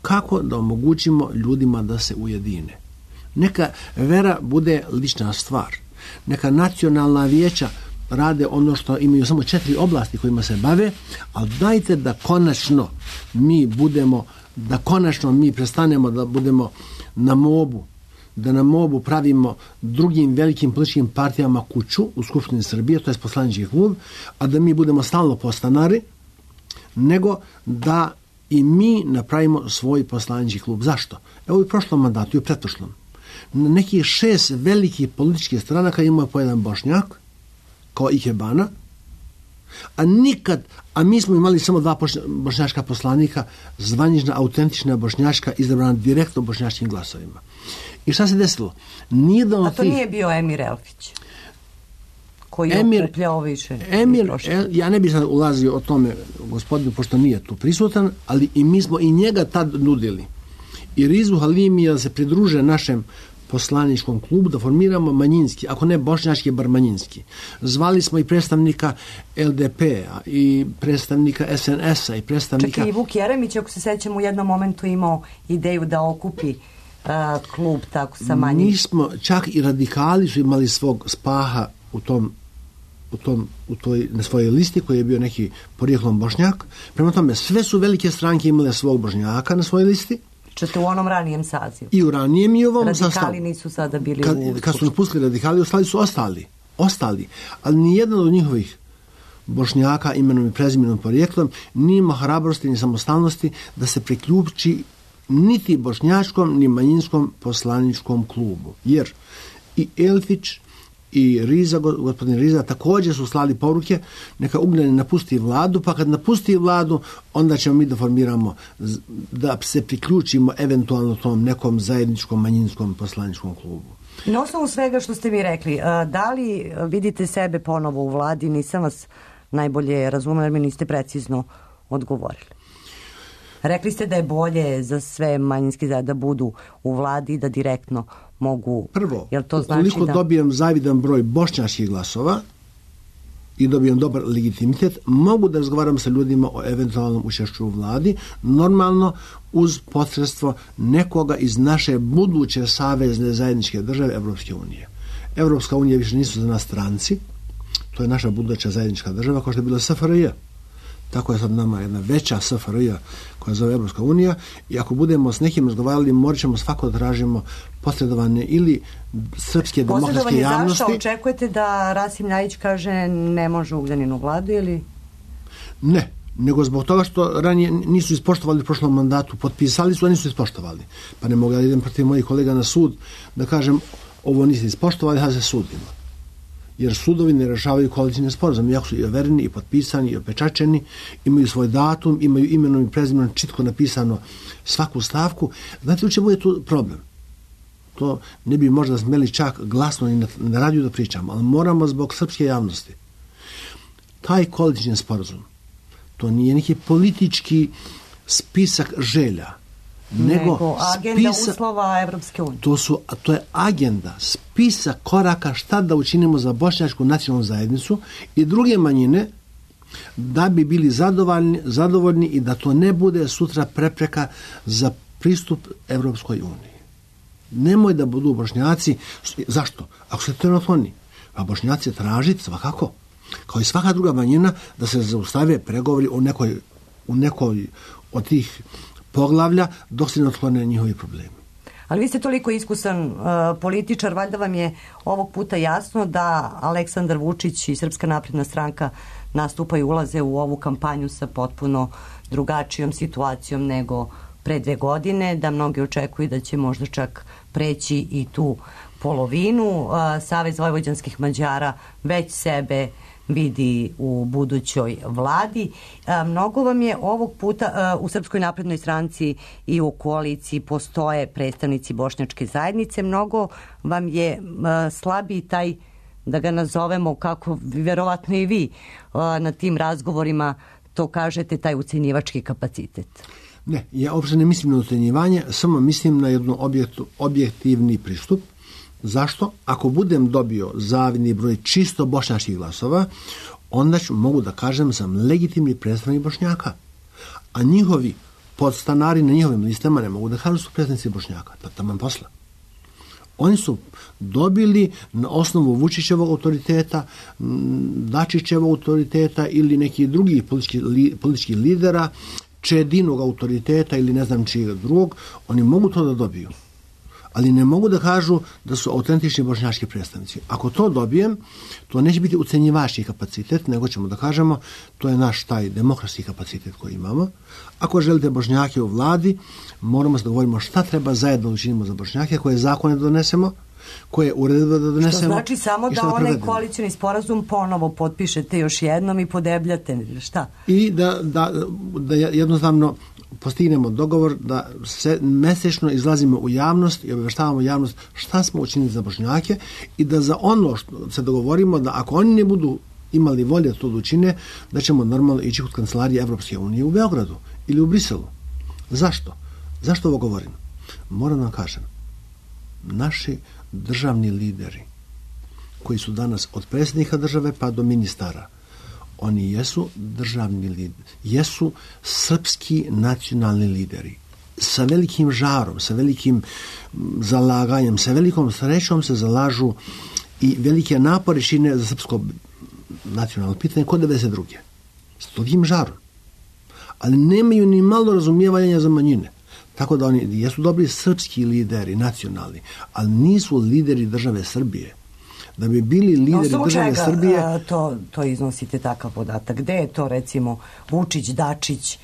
kako da omogućimo ljudima da se ujedine. Neka vera bude lična stvar. Neka nacionalna vijeća rade ono što imaju samo četiri oblasti kojima se bave, ali dajte da konačno mi budemo, da konačno mi prestanemo da budemo na mobu, da na mobu pravimo drugim velikim političkim partijama kuću u Skupštini Srbije, to je poslanički klub, a da mi budemo stalno podstanari, nego da i mi napravimo svoj poslanički klub. Zašto? Evo u prošlom mandatu i u pretprošlom. Nekih šest velikih političkih stranaka ima po jedan Bošnjak, kao Ikebana, a nikad, a mi smo imali samo dva bošnjačka poslanika, zvanična, autentična bošnjačka, izabrana direktno bošnjačkim glasovima. I šta se desilo? Nijedan a to tih... nije bio Emir Elfić, koji je Emir, okupljao više. Emir, el, ja ne bih sad ulazio o tome, gospodinu, pošto nije tu prisutan, ali i mi smo i njega tad nudili. I Rizu Halimija da se pridruže našem poslaničkom klubu, da formiramo manjinski, ako ne bošnjački, bar manjinski. Zvali smo i predstavnika L D P-a i predstavnika S N S-a i predstavnika... Čak i Vuk Jeremić, ako se sećamo, u jednom momentu imao ideju da okupi uh, klub tako sa manjim. Mi smo, čak i radikali su imali svog spaha u tom, u tom, u toj, na svojoj listi, koji je bio neki porijeklom Bošnjak. Prema tome, sve su velike stranke imale svog Bošnjaka na svojoj listi. Čete u onom ranijem sazivu. I u ranijem i u ovom radikali sastavu. Radikali nisu sada bili kad, u... Kad su napustili radikali, ostali su ostali. Ostali. Ali nijedan od njihovih Bošnjaka imenom i prezimenom porijeklom nije imao hrabrosti ni samostalnosti da se priključi niti bošnjačkom ni manjinskom poslaničkom klubu. Jer i Elfić i Riza, gospodin Riza, također su slali poruke, neka Ugljani napusti vladu, pa kad napusti vladu, onda ćemo mi da formiramo, da se priključimo eventualno tom nekom zajedničkom manjinskom poslaničkom klubu. Na osnovu svega što ste mi rekli, da li vidite sebe ponovo u vladi? Nisam vas najbolje razumela, jer mi niste precizno odgovorili. Rekli ste da je bolje za sve manjinski da budu u vladi, da direktno mogu... Prvo, jel to znači ukoliko da... dobijem zavidan broj bošnjačkih glasova i dobijem dobar legitimitet, mogu da razgovaram sa ljudima o eventualnom učešću u vladi, normalno uz posredstvo nekoga iz naše buduće savezne zajedničke države Evropske unije. Evropska unija više nisu za nas stranci, to je naša buduća zajednička država, kao što je bila S F R J. Tako je sad nama jedna veća S F R J koja zove Evropska unija, i ako budemo s nekim razgovarali, morat ćemo svako da tražimo posredovanje ili srpske demokratske javnosti. Zašto očekujete da Rasim Ljajić kaže ne može Ugljanin u vladu ili? Ne, nego zbog toga što ranije nisu ispoštovali u prošlom mandatu, potpisali su, a nisu ispoštovali. Pa ne mogu da idem protiv mojih kolega na sud da kažem ovo niste ispoštovali, da se sudimo. Jer sudovi ne rešavaju koalicijne sporazume, jako su i overeni, i potpisani, i opečačeni, imaju svoj datum, imaju imenom i prezimenom čitko napisano svaku stavku. Znate u čemu je tu problem? To ne bi možda smeli čak glasno i na, na radiju da pričamo, ali moramo zbog srpske javnosti. Taj koalicijni sporazum, to nije neki politički spisak želja, nego, nego agenda spisa, uslova Evropske unije. To, su, to je agenda, spisak koraka šta da učinimo za bošnjačku nacionalnu zajednicu i druge manjine da bi bili zadovoljni, zadovoljni i da to ne bude sutra prepreka za pristup Evropskoj uniji. Nemoj da budu Bošnjaci, zašto? Ako se trenutni, a Bošnjaci tražiti svakako, kao i svaka druga manjina, da se zaustave pregovori u nekoj, u nekoj od tih poglavlja dok se ne otklone njihovi problemi. Ali vi ste toliko iskusan uh, političar, valjda vam je ovog puta jasno da Aleksandar Vučić i Srpska napredna stranka nastupaju, ulaze u ovu kampanju sa potpuno drugačijom situacijom nego pre dve godine, da mnogi očekuju da će možda čak preći i tu polovinu. Savez vojvođanskih Mađara već sebe vidi u budućoj vladi. Mnogo vam je ovog puta u Srpskoj naprednoj stranci i u koaliciji postoje predstavnici bošnjačke zajednice. Mnogo vam je slabiji taj, da ga nazovemo kako verovatno i vi na tim razgovorima to kažete, taj ucenjivački kapacitet. Ne, ja uopšte ne mislim na ucenjivanje, samo mislim na jednu objektu, objektivni pristup. Zašto? Ako budem dobio zavidni broj čisto bošnjačkih glasova, onda ću, mogu da kažem, sam legitimni predstavnik Bošnjaka. A njihovi podstanari na njihovim listama ne mogu da kažu su predstavnici Bošnjaka. To je taman posla. Oni su dobili na osnovu Vučićevog autoriteta, Dačićevog autoriteta ili nekih drugih političkih, li, političkih lidera, Čedinog autoriteta ili ne znam čijeg drugog, oni mogu to da dobiju. Ali ne mogu da kažu da su autentični bošnjački predstavnici. Ako to dobijem, to neće biti ucenjivački kapacitet, nego ćemo da kažemo to je naš taj demokratski kapacitet koji imamo. Ako želite Bošnjake u vladi, moramo se dogovorimo šta treba zajedno učinimo za Bošnjake, koje zakone donesemo, koje uredbe da donesemo. Što znači samo da, da onaj koalicioni sporazum ponovo potpišete još jednom i podebljate, šta? I da, da, da jednostavno postignemo dogovor da se mesečno izlazimo u javnost i obavještavamo javnost šta smo učinili za Bošnjake i da za ono što se dogovorimo da ako oni ne budu imali volje to da učine, da ćemo normalno ići kod kancelarije Evropske unije u Beogradu ili u Briselu. Zašto? Zašto ovo govorim? Moram vam kažem, naši državni lideri koji su danas od predsjednika države pa do ministara, oni jesu državni lideri, jesu srpski nacionalni lideri. Sa velikim žarom, sa velikim zalaganjem, sa velikom srećom se zalažu i velike napore čine za srpsko nacionalno pitanje kod devedeset druge. S tolikim žarom. Ali nemaju ni malo razumijevanja za manjine. Tako da oni jesu dobri srpski lideri, nacionalni, ali nisu lideri države Srbije. Da bi bili lideri no, države čega, Srbije... A, to, to iznosite takav podatak. Gde je to, recimo, Vučić, Dačić,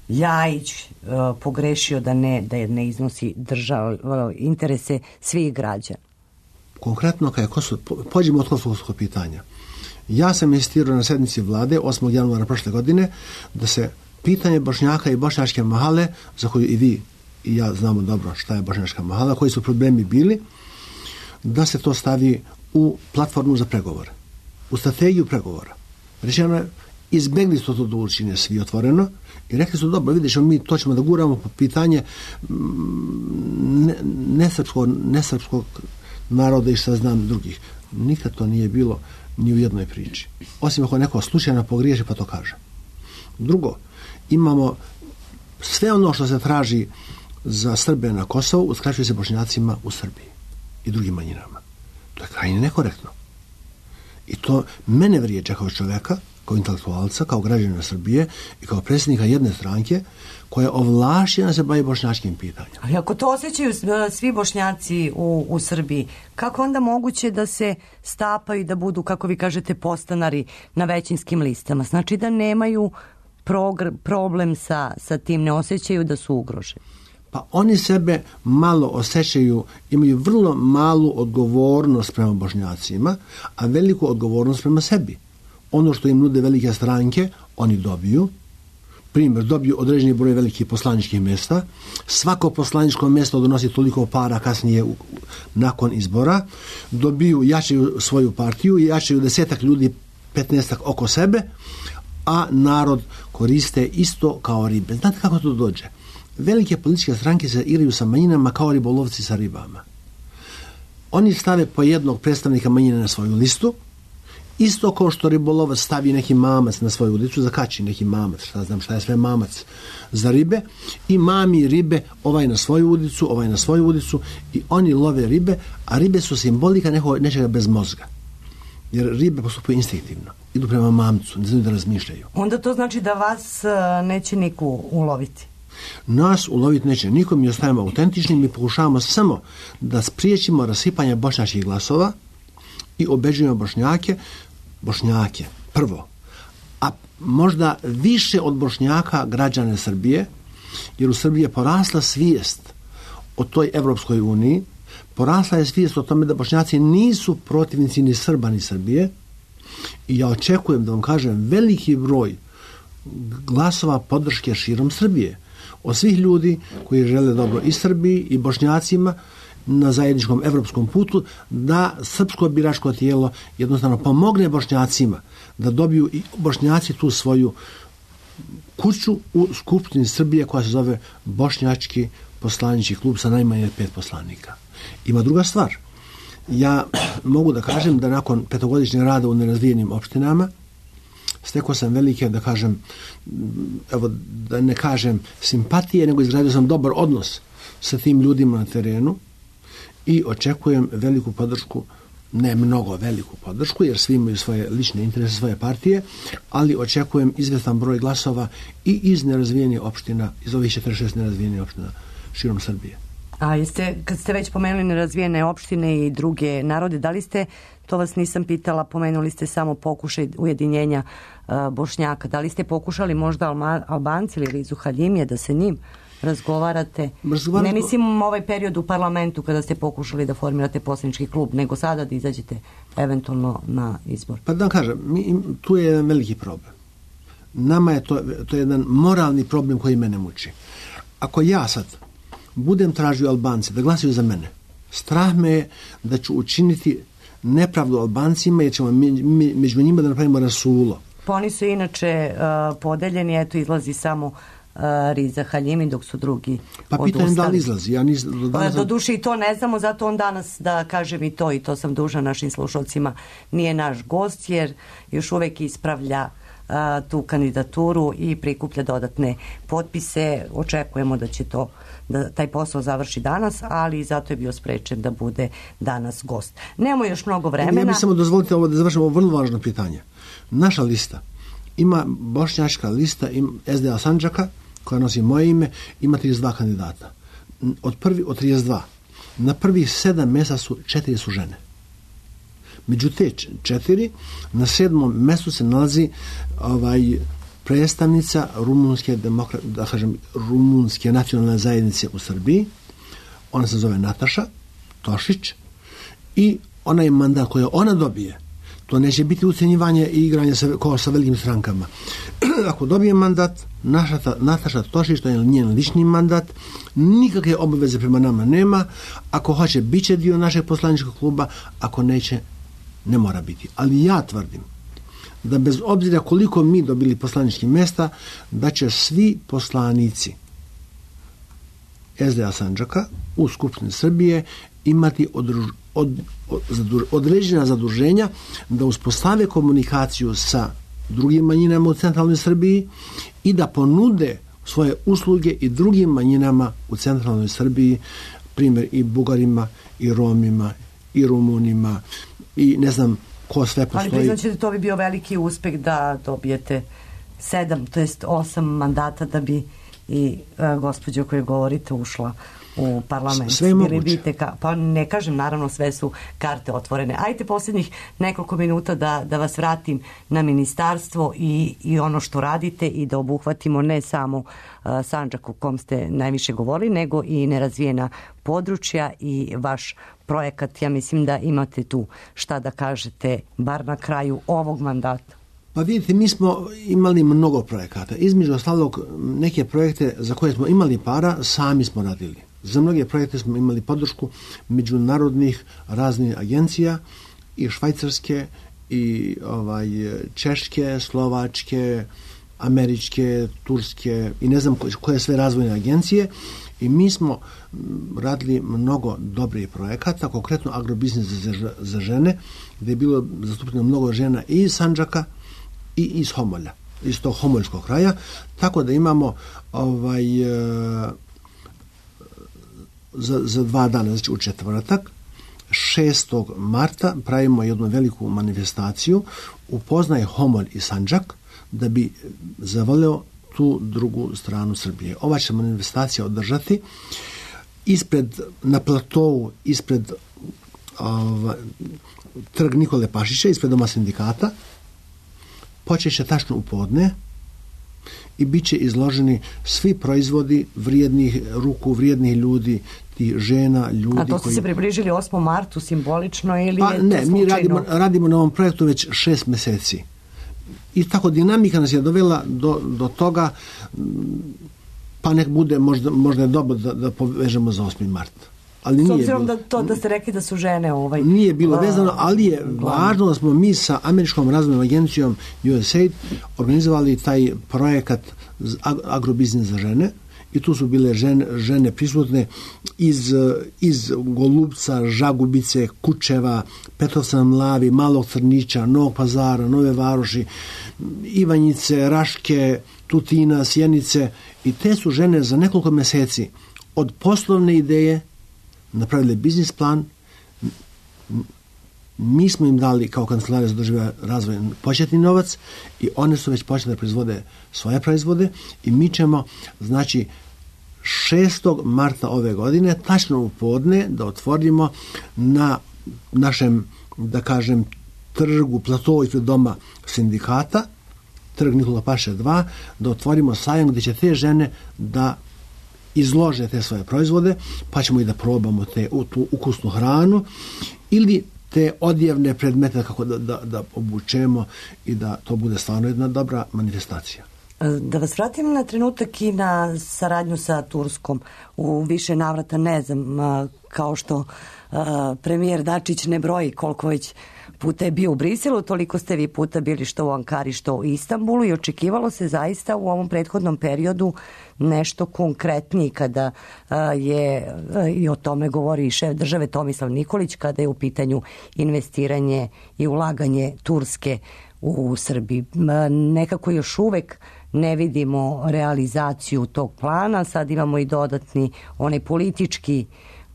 Ljajić a, pogrešio da ne, da ne iznosi držav, a, interese svih građana? Konkretno, kada je Kosovo, pođemo od kosovskog pitanja. Ja sam insistirao na sednici vlade osmog januara prošle godine da se pitanje Bošnjaka i bošnjačke mahale, za koju i vi i ja znamo dobro šta je bošnjačka mahala, koji su problemi bili, da se to stavi u platformu za pregovore, u strategiju pregovora. Rečeno je, izbegli su to da učine svi otvoreno i rekli su, dobro, vidiš, mi to ćemo da guramo po pitanje nesrpskog, nesrpskog naroda i šta znam drugih. Nikad to nije bilo ni u jednoj priči. Osim ako neko slučajno pogriješi pa to kaže. Drugo, imamo sve ono što se traži za Srbe na Kosovu, uskraćuje se Bošnjacima u Srbiji i drugim manjinama. To je krajnje nekorektno. I to mene vrijeđa kao čovjeka, kao intelektualca, kao građanina Srbije i kao predsjednika jedne stranke koja je ovlašćena se bavi bošnjačkim pitanjima. Ali ako to osjećaju svi Bošnjaci u, u Srbiji, kako onda moguće da se stapaju da budu, kako vi kažete, postanari na većinskim listama? Znači da nemaju progr- problem sa, sa tim, ne osjećaju da su ugroženi? Pa oni sebe malo osjećaju, imaju vrlo malu odgovornost prema Bošnjacima, a veliku odgovornost prema sebi. Ono što im nude velike stranke, oni dobiju. Primjer, dobiju određeni broj velikih poslaničkih mjesta. Svako poslaničko mjesto donosi toliko para kasnije u, nakon izbora. Dobiju, jačaju svoju partiju, jačaju desetak ljudi, petnaestak oko sebe, a narod koriste isto kao ribe. Znate kako to dođe? Velike političke stranke se igraju sa manjinama kao ribolovci sa ribama. Oni stave po jednog predstavnika manjine na svoju listu, isto kao što ribolovac stavi neki mamac na svoju ulicu, zakači neki mamac, šta znam šta je sve mamac za ribe, i mami ribe, ovaj na svoju ulicu, ovaj na svoju ulicu, i oni love ribe, a ribe su simbolika neko, nečega bez mozga. Jer ribe postupaju instinktivno, idu prema mamcu, ne znaju da razmišljaju. Onda to znači da vas neće niko uloviti? Nas uloviti neće niko, mi ostajemo autentični, mi pokušavamo samo da spriječimo rasipanje bošnjačkih glasova i obeđujemo Bošnjake, Bošnjake prvo, a možda više od Bošnjaka građane Srbije, jer u Srbiji je porasla svijest o toj Evropskoj uniji, porasla je svijest o tome da Bošnjaci nisu protivnici ni Srba ni Srbije i ja očekujem, da vam kažem, veliki broj glasova podrške širom Srbije od svih ljudi koji žele dobro i Srbiji i Bošnjacima na zajedničkom evropskom putu, da srpsko biračko tijelo jednostavno pomogne Bošnjacima da dobiju i Bošnjaci tu svoju kuću u Skupštini Srbije koja se zove Bošnjački poslanički klub sa najmanje pet poslanika. Ima druga stvar. Ja mogu da kažem da nakon petogodišnjeg rada u nerazvijenim opštinama stekao sam velike, da kažem, evo, da ne kažem simpatije, nego izgradio sam dobar odnos sa tim ljudima na terenu i očekujem veliku podršku, ne mnogo veliku podršku, jer svi imaju svoje lične interese, svoje partije, ali očekujem izvestan broj glasova i iz nerazvijenih opština, iz ovih četrdeset šest nerazvijenih opština širom Srbije. A jeste, kad ste već pomenuli nerazvijene opštine i druge narode, da li ste, to vas nisam pitala, pomenuli ste samo pokušaj ujedinjenja uh, Bošnjaka, da li ste pokušali možda Alma, Albanci ili Rizu Haljimije da se njim razgovarate? Razgovaramo... Ne mislim ovaj period u parlamentu kada ste pokušali da formirate poslanički klub, nego sada da izađete eventualno na izbor. Pa da kažem, mi, tu je jedan veliki problem. Nama je to, to je jedan moralni problem koji mene muči. Ako ja sad budem tražio Albance da glasaju za mene, strah me je da ću učiniti nepravdu Albancima, jer ćemo mi, mi, među njima da napravimo rasulo. Pa oni su inače uh, podeljeni, eto izlazi samo uh, Riza Haljimi, dok su drugi pa odustali. Pa pitam da li izlazi. Ja nis, do, pa, do duše i to ne znamo, zato on danas da kažem i to, i to sam dužna našim slušalcima, nije naš gost, jer još uvek ispravlja uh, tu kandidaturu i prikuplja dodatne potpise. Očekujemo da će to da taj posao završi danas, ali zato je bio sprečen da bude danas gost. Nemamo još mnogo vremena. Ja bih samo dozvolite ovo da završimo ovo vrlo važno pitanje. Naša lista ima, bošnjačka lista ima S D A Sandžaka, koja nosi moje ime, ima trideset dva kandidata. Od, prvi, od trideset dva. Na prvih sedam mjesta su četiri su žene. Među te četiri, na sedmom mjestu se nalazi ovaj predstavnica rumunske, demokra, da kažem, rumunske nacionalne zajednice u Srbiji. Ona se zove Nataša Tošić i onaj mandat koji ona dobije, to neće biti ucenjivanje i igranje sa, kao sa velikim strankama. Ako dobije mandat, naša, Nataša Tošić, to je njen lični mandat, nikakve obaveze prema nama nema. Ako hoće, bit će dio našeg poslaničkog kluba, ako neće, ne mora biti. Ali ja tvrdim da bez obzira koliko mi dobili poslaničkih mjesta, da će svi poslanici S D A Sandžaka u Skupštini Srbije imati odruž, od, od, od, određena zaduženja da uspostave komunikaciju sa drugim manjinama u centralnoj Srbiji i da ponude svoje usluge i drugim manjinama u centralnoj Srbiji, primjer i Bugarima, i Romima, i Rumunima, i ne znam ko sve postoji. Ali priznaćete, to bi bio veliki uspeh da dobijete sedam, to jest osam mandata da bi i uh, gospođa o kojoj govorite ušla u parlament. Sve je moguće. Ka, pa ne kažem, naravno sve su karte otvorene. Ajte posljednjih nekoliko minuta da, da vas vratim na ministarstvo i, i ono što radite i da obuhvatimo ne samo uh, Sandžak u kom ste najviše govorili, nego i nerazvijena područja i vaš projekat. Ja mislim da imate tu šta da kažete bar na kraju ovog mandata. Pa vidite, mi smo imali mnogo projekata. Između ostalog, neke projekte za koje smo imali para, sami smo radili. Za mnoge projekte smo imali podršku međunarodnih raznih agencija, i švajcarske, i ovaj, češke, slovačke, američke, turske i ne znam koje sve razvojne agencije. I mi smo radili mnogo dobrih projekata, konkretno agrobiznis za, za žene, gdje je bilo zastupljeno mnogo žena i iz Sandžaka i iz Homolja, iz tog homoljskog kraja, tako da imamo ovaj, za, za dva dana, znači u četvrtak, šestog marta, pravimo jednu veliku manifestaciju, upoznaje Homolj i Sandžak, da bi zavoleo tu drugu stranu Srbije. Ova će manifestacija održati ispred, na platovu, ispred ova, trg Nikole Pašića, ispred doma sindikata. Počeće tačno u podne i bit će izloženi svi proizvodi vrijednih ruku, vrijednih ljudi, tih žena, ljudi. A to ste koji... se približili osmom martu simbolično ili pa, je to ne, slučajno? Mi radimo, radimo na ovom projektu već šest meseci. I tako dinamika nas je dovela do, do toga, pa nek bude, možda, možda je dobro da, da povežemo za osmi mart. Ali S nije obzirom bilo, da, to, da ste rekli da su žene ovaj... Nije bilo vezano, ali je važno da smo mi sa Američkom razvojnom agencijom U S A I D organizovali taj projekat agrobiznis za žene i tu su bile žene, žene prisutne iz, iz Golubca, Žagubice, Kučeva, Petrovca na Mlavi, Malog Crnića, Novog Pazara, Nove Varoši, Ivanjice, Raške, Tutina, Sjenice i te su žene za nekoliko meseci od poslovne ideje napravili biznis plan. Mi smo im dali kao kancelarija za održivi razvoj početni novac i one su već počele da proizvode svoje proizvode i mi ćemo, znači, šestog marta ove godine, tačno u podne, da otvorimo na našem, da kažem, trgu, platovu ispred doma sindikata, trg Nikola Paše dva, da otvorimo sajam gdje će te žene da izlože te svoje proizvode, pa ćemo i da probamo te, tu ukusnu hranu ili te odjevne predmete kako da, da, da obučemo i da to bude stvarno jedna dobra manifestacija. Da vas vratim na trenutak i na saradnju sa Turskom. U više navrata, ne znam, kao što premijer Dačić ne broji koliko već puta je bio u Briselu, toliko ste vi puta bili što u Ankari, što u Istanbulu i očekivalo se zaista u ovom prethodnom periodu nešto konkretnije kada je, i o tome govori i šef države Tomislav Nikolić, kada je u pitanju investiranje i ulaganje Turske u Srbiji. Nekako još uvek ne vidimo realizaciju tog plana, sad imamo i dodatni onaj politički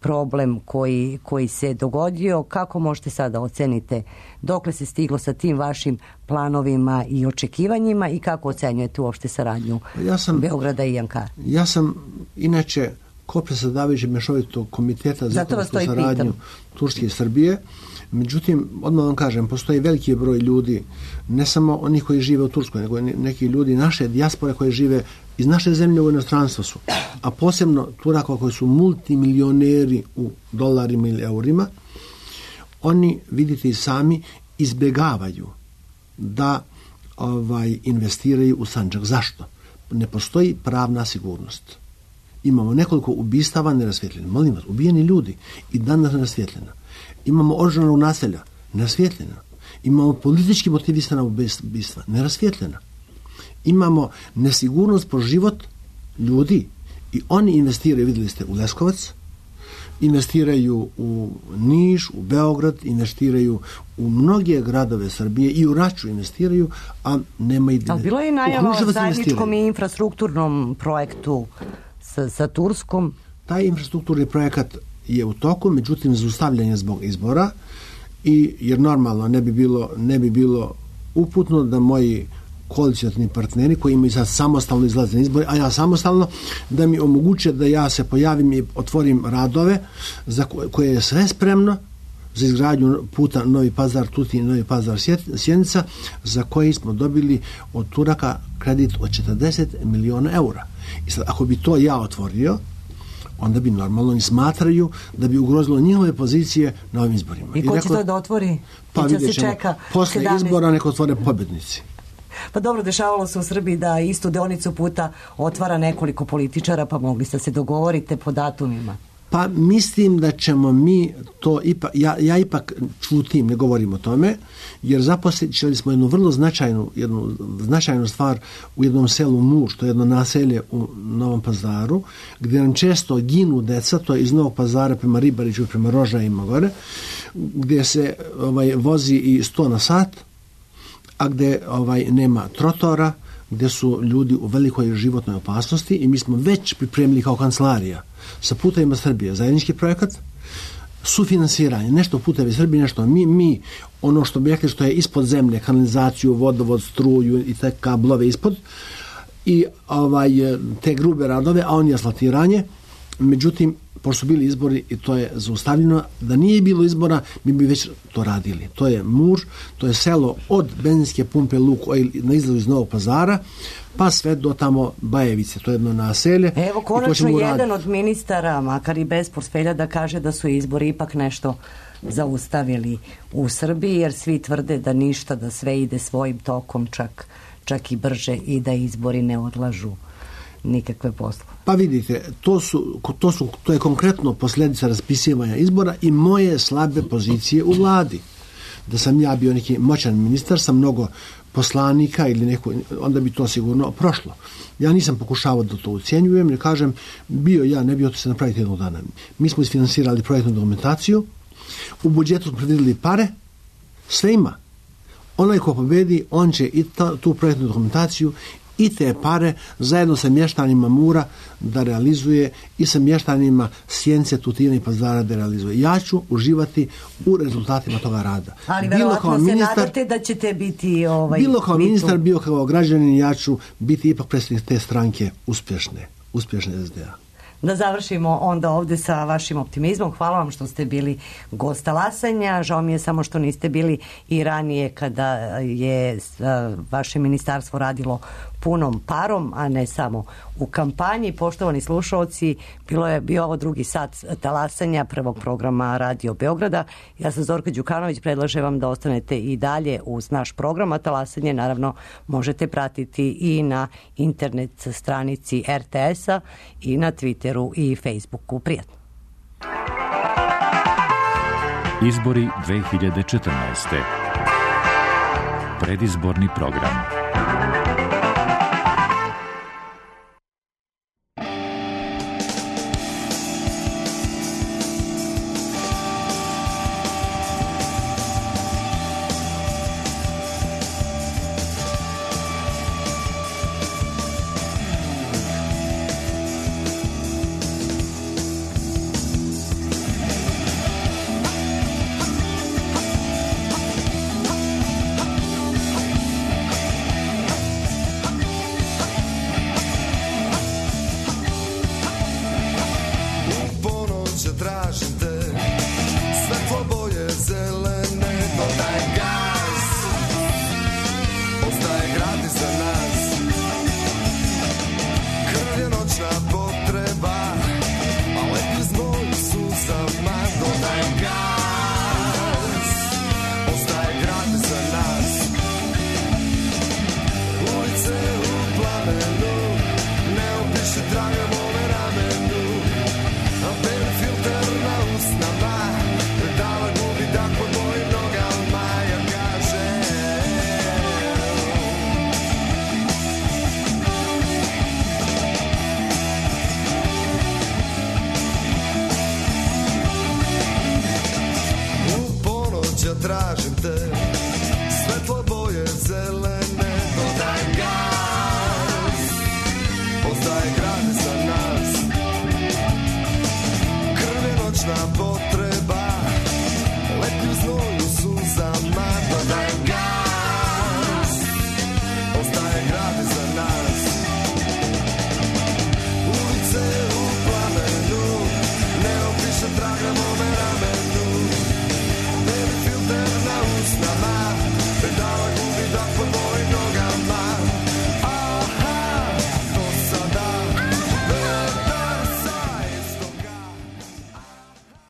problem koji, koji se dogodio. Kako možete sada ocenite dokle se stiglo sa tim vašim planovima i očekivanjima i kako ocenjujete uopšte saradnju ja sam, Beograda i Ankare? Ja sam inače kopredsjedavajući mešovitog komiteta za ekonomsku saradnju Turske i Srbije. Međutim, odmah vam kažem, postoji veliki broj ljudi, ne samo oni koji žive u Turskoj, nego neki ljudi naše dijaspore koji žive iz naše zemlje u inostranstvu su, a posebno Turaka koji su multimilioneri u dolarima ili eurima. Oni, vidite i sami, izbjegavaju da ovaj, investiraju u Sandžak. Zašto? Ne postoji pravna sigurnost. Imamo nekoliko ubistava nerasvjetljena. Molim vas, ubijeni ljudi i danas nerasvjetljena. Imamo oružana naselja, nerasvjetljena. Imamo politički motivisana ubistva, nerasvjetljena. Imamo nesigurnost po život ljudi i oni investiraju, vidjeli ste, u Leskovac, investiraju u Niš, u Beograd, investiraju u mnoge gradove Srbije i u Raču investiraju, a nema i... Ali bilo je i najava o zajedničkom i infrastrukturnom projektu sa, sa Turskom. Taj infrastrukturni projekat je u toku, međutim zaustavljanje zbog izbora i jer normalno ne bi bilo, ne bi bilo uputno da moji koalicioni partneri koji imaju sad samostalno izlaze na izbore, a ja samostalno, da mi omoguće da ja se pojavim i otvorim radove za koje je sve spremno za izgradnju puta Novi Pazar, Tutin, Novi Pazar, Sjenica, za koji smo dobili od Turaka kredit od četrdeset miliona eura. I sad, ako bi to ja otvorio, onda bi normalno oni smatraju da bi ugrozilo njihove pozicije na ovim izborima. I ko će to da otvori? Pa vidjet ćemo, posle sedamnaest izbora neko otvore pobednici. Pa dobro, dešavalo se u Srbiji da istu deonicu puta otvara nekoliko političara, pa mogli ste se dogovorite po datumima. Pa mislim da ćemo mi to ipak, ja, ja ipak čutim, ne govorim o tome, jer zaposlili smo jednu vrlo značajnu, jednu značajnu stvar u jednom selu Muš, to je jedno naselje u Novom Pazaru, gdje nam često ginu deca, to je iz Novog Pazara prema Ribariću, prema Rožajima gore, gdje se ovaj, vozi i sto na sat, a gdje ovaj, nema trotora, gdje su ljudi u velikoj životnoj opasnosti i mi smo već pripremili kao kancelarija sa Putevima Srbije zajednički projekat, sufinansiranje, nešto Putevi Srbije, nešto mi, mi ono što bi rekli što je ispod zemlje, kanalizaciju, vodovod, struju i te kablove ispod i ovaj, te grube radove, a on je asfaltiranje. Međutim, pošto su bili izbori i to je zaustavljeno. Da nije bilo izbora, mi bi već to radili. To je Mur, to je selo od benzinske pumpe Luk na izlazu iz Novog Pazara, pa sve do tamo Bajevice, to je jedno naselje. Evo, konačno jedan od ministara, makar i bez portfelja, da kaže da su izbori ipak nešto zaustavili u Srbiji, jer svi tvrde da ništa, da sve ide svojim tokom, čak, čak i brže, i da izbori ne odlažu nikakve posle. Pa vidite, to, su, to, su, to je konkretno posljedica raspisivanja izbora i moje slabe pozicije u vladi. Da sam ja bio neki moćan ministar sa mnogo poslanika ili neko, onda bi to sigurno prošlo. Ja nisam pokušavao da to ucijenjujem, ne kažem, bio ja, ne bio to se napraviti jednog dana. Mi smo isfinansirali projektnu dokumentaciju, u budžetu smo predvidjeli pare, sve ima. Onaj ko pobedi, on će i ta, tu projektnu dokumentaciju i te pare zajedno sa mještanima Mura da realizuje i sa mještanima Sjenice, Tutina i Pazara da realizuje. Ja ću uživati u rezultatima toga rada. Ali verovatno se ministar, nadate da ćete biti ovaj, bilo kao mitu. Ministar, bio kao građanin, ja ću biti ipak predstavnik te stranke uspješne, uspješne S D A. Da završimo onda ovdje sa vašim optimizmom. Hvala vam što ste bili gost Talasanja. Žao mi je samo što niste bili i ranije kada je vaše ministarstvo radilo punom parom, a ne samo u kampanji. Poštovani slušalci, bilo je bio ovo drugi sat Talasanja prvog programa Radio Beograda. Ja sam Zorka Đukanović, predlažem vam da ostanete i dalje uz naš program, a Talasanje naravno možete pratiti i na internet stranici R T S-a i na Twitteru i Facebooku. Prijatno. Izbori dve hiljade četrnaeste. Predizborni program. Tražim te, svetlo boje zelene.